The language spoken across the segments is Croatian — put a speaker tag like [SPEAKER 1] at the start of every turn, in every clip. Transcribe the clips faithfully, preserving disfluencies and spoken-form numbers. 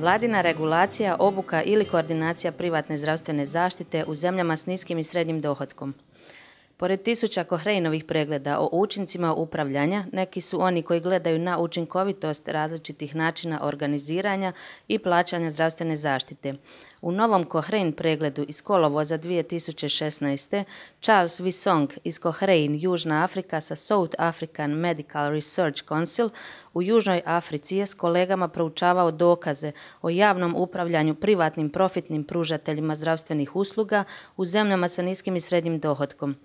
[SPEAKER 1] Vladina regulacija, obuka ili koordinacija privatne zdravstvene zaštite u zemljama s niskim i srednjim dohotkom. Pored tisuća Cochraneovih pregleda o učincima upravljanja, neki su oni koji gledaju na učinkovitost različitih načina organiziranja i plaćanja zdravstvene zaštite. U novom Cochrane pregledu iz kolovoza dvije tisuće šesnaeste. Charles Wissong iz Cochrane, Južna Afrika sa South African Medical Research Council u Južnoj Africi je s kolegama proučavao dokaze o javnom upravljanju privatnim profitnim pružateljima zdravstvenih usluga u zemljama sa niskim i srednjim dohotkom.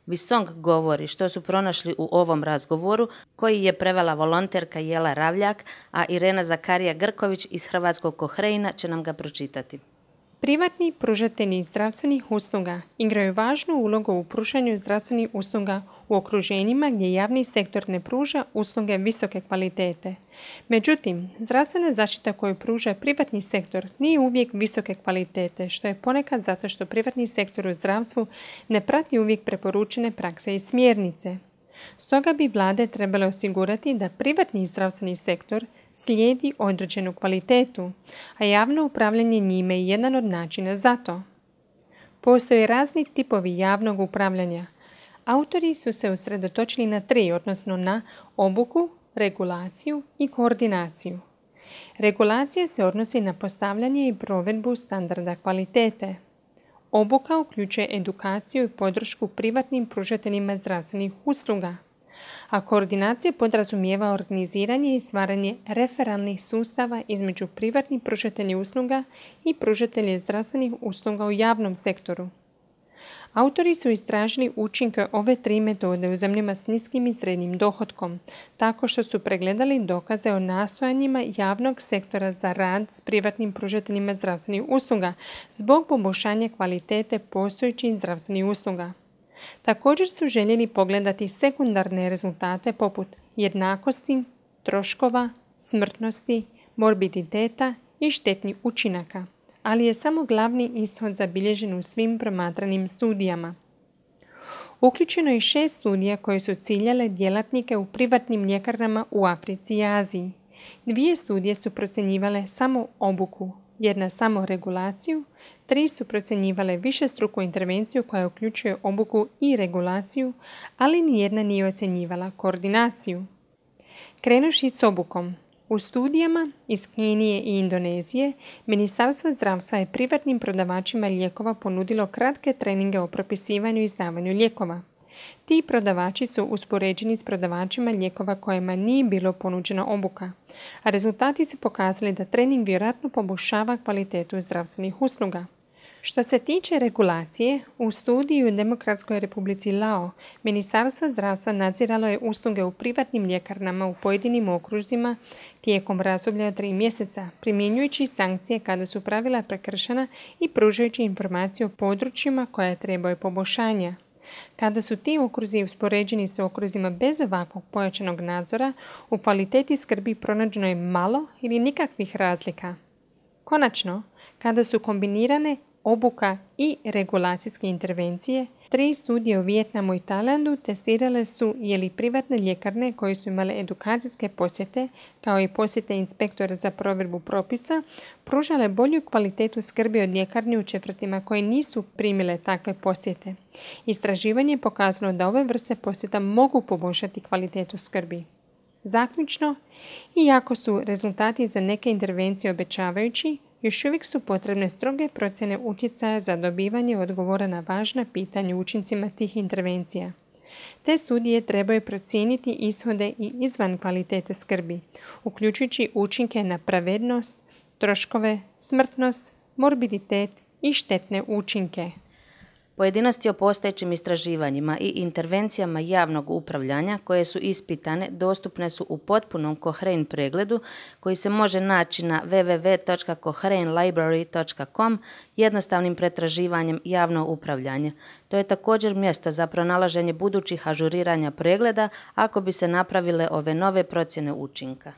[SPEAKER 1] Wissong govori što su pronašli u ovom razgovoru, koji je prevela volonterka Jela Ravljak, a Irena Zakarija Grković iz Hrvatskog Cochrane će nam ga pročitati.
[SPEAKER 2] Privatni pružatelji zdravstvenih usluga igraju važnu ulogu u pružanju zdravstvenih usluga u okruženjima gdje javni sektor ne pruža usluge visoke kvalitete. Međutim, zdravstvena zaštita koju pruža privatni sektor nije uvijek visoke kvalitete, što je ponekad zato što privatni sektor u zdravstvu ne prati uvijek preporučene prakse i smjernice. Stoga bi vlade trebale osigurati da privatni zdravstveni sektor slijedi određenu kvalitetu, a javno upravljanje njime je jedan od načina za to. Postoje razni tipovi javnog upravljanja. Autori su se usredotočili na tri, odnosno na obuku, regulaciju i koordinaciju. Regulacija se odnosi na postavljanje i provedbu standarda kvalitete. Obuka uključuje edukaciju i podršku privatnim pružateljima zdravstvenih usluga, a koordinacija podrazumijeva organiziranje i stvaranje referalnih sustava između privatnih pružatelja usluga i pružatelja zdravstvenih usluga u javnom sektoru. Autori su istražili učinke ove tri metode u zemljama s niskim i srednjim dohotkom, tako što su pregledali dokaze o nastojanjima javnog sektora za rad s privatnim pružateljima zdravstvenih usluga zbog poboljšanja kvalitete postojećih zdravstvenih usluga. Također su željeli pogledati sekundarne rezultate poput jednakosti, troškova, smrtnosti, morbiditeta i štetnih učinaka, ali je samo glavni ishod zabilježen u svim promatranim studijama. Uključeno je šest studija koje su ciljale djelatnike u privatnim ljekarnama u Africi i Aziji. Dvije studije su procjenjivale samo obuku, jedna samo regulaciju, tri su procjenjivale višestruku intervenciju koja uključuje obuku i regulaciju, ali nijedna nije ocjenjivala koordinaciju. Krenuši s obukom, u studijama iz Kenije i Indonezije, Ministarstvo zdravstva je privatnim prodavačima lijekova ponudilo kratke treninge o propisivanju i izdavanju lijekova. Ti prodavači su uspoređeni s prodavačima lijekova kojima nije bilo ponuđena obuka, a rezultati su pokazali da trening vjerojatno poboljšava kvalitetu zdravstvenih usluga. Što se tiče regulacije, u studiji u Demokratskoj Republici Lao, Ministarstvo zdravstva nadziralo je usluge u privatnim ljekarnama u pojedinim okružjima tijekom razdoblja od tri mjeseca, primjenjujući sankcije kada su pravila prekršena i pružajući informacije o područjima koja trebaju poboljšanja. Kada su ti okruzi uspoređeni s okruzima bez ovakvog pojačanog nadzora, u kvaliteti skrbi pronađeno je malo ili nikakvih razlika. Konačno, kada su kombinirane obuka i regulacijske intervencije, tri studije u Vijetnamu i Tajlandu testirale su je li privatne ljekarne koje su imale edukacijske posjete, kao i posjete inspektora za provedbu propisa, pružale bolju kvalitetu skrbi od ljekarni u četvrtima koje nisu primile takve posjete. Istraživanje je pokazalo da ove vrste posjeta mogu poboljšati kvalitetu skrbi. Zaključno, iako su rezultati za neke intervencije obećavajući, još uvijek su potrebne stroge procjene utjecaja za dobivanje odgovora na važna pitanja o učincima tih intervencija. Te studije trebaju procijeniti ishode i izvan kvalitete skrbi, uključujući učinke na pravednost, troškove, smrtnost, morbiditet i štetne učinke.
[SPEAKER 1] Pojedinosti o postojećim istraživanjima i intervencijama javnog upravljanja koje su ispitane dostupne su u potpunom Cochrane pregledu koji se može naći na w w w točka cochrane library točka com jednostavnim pretraživanjem javno upravljanje. To je također mjesto za pronalaženje budućih ažuriranja pregleda ako bi se napravile ove nove procjene učinka.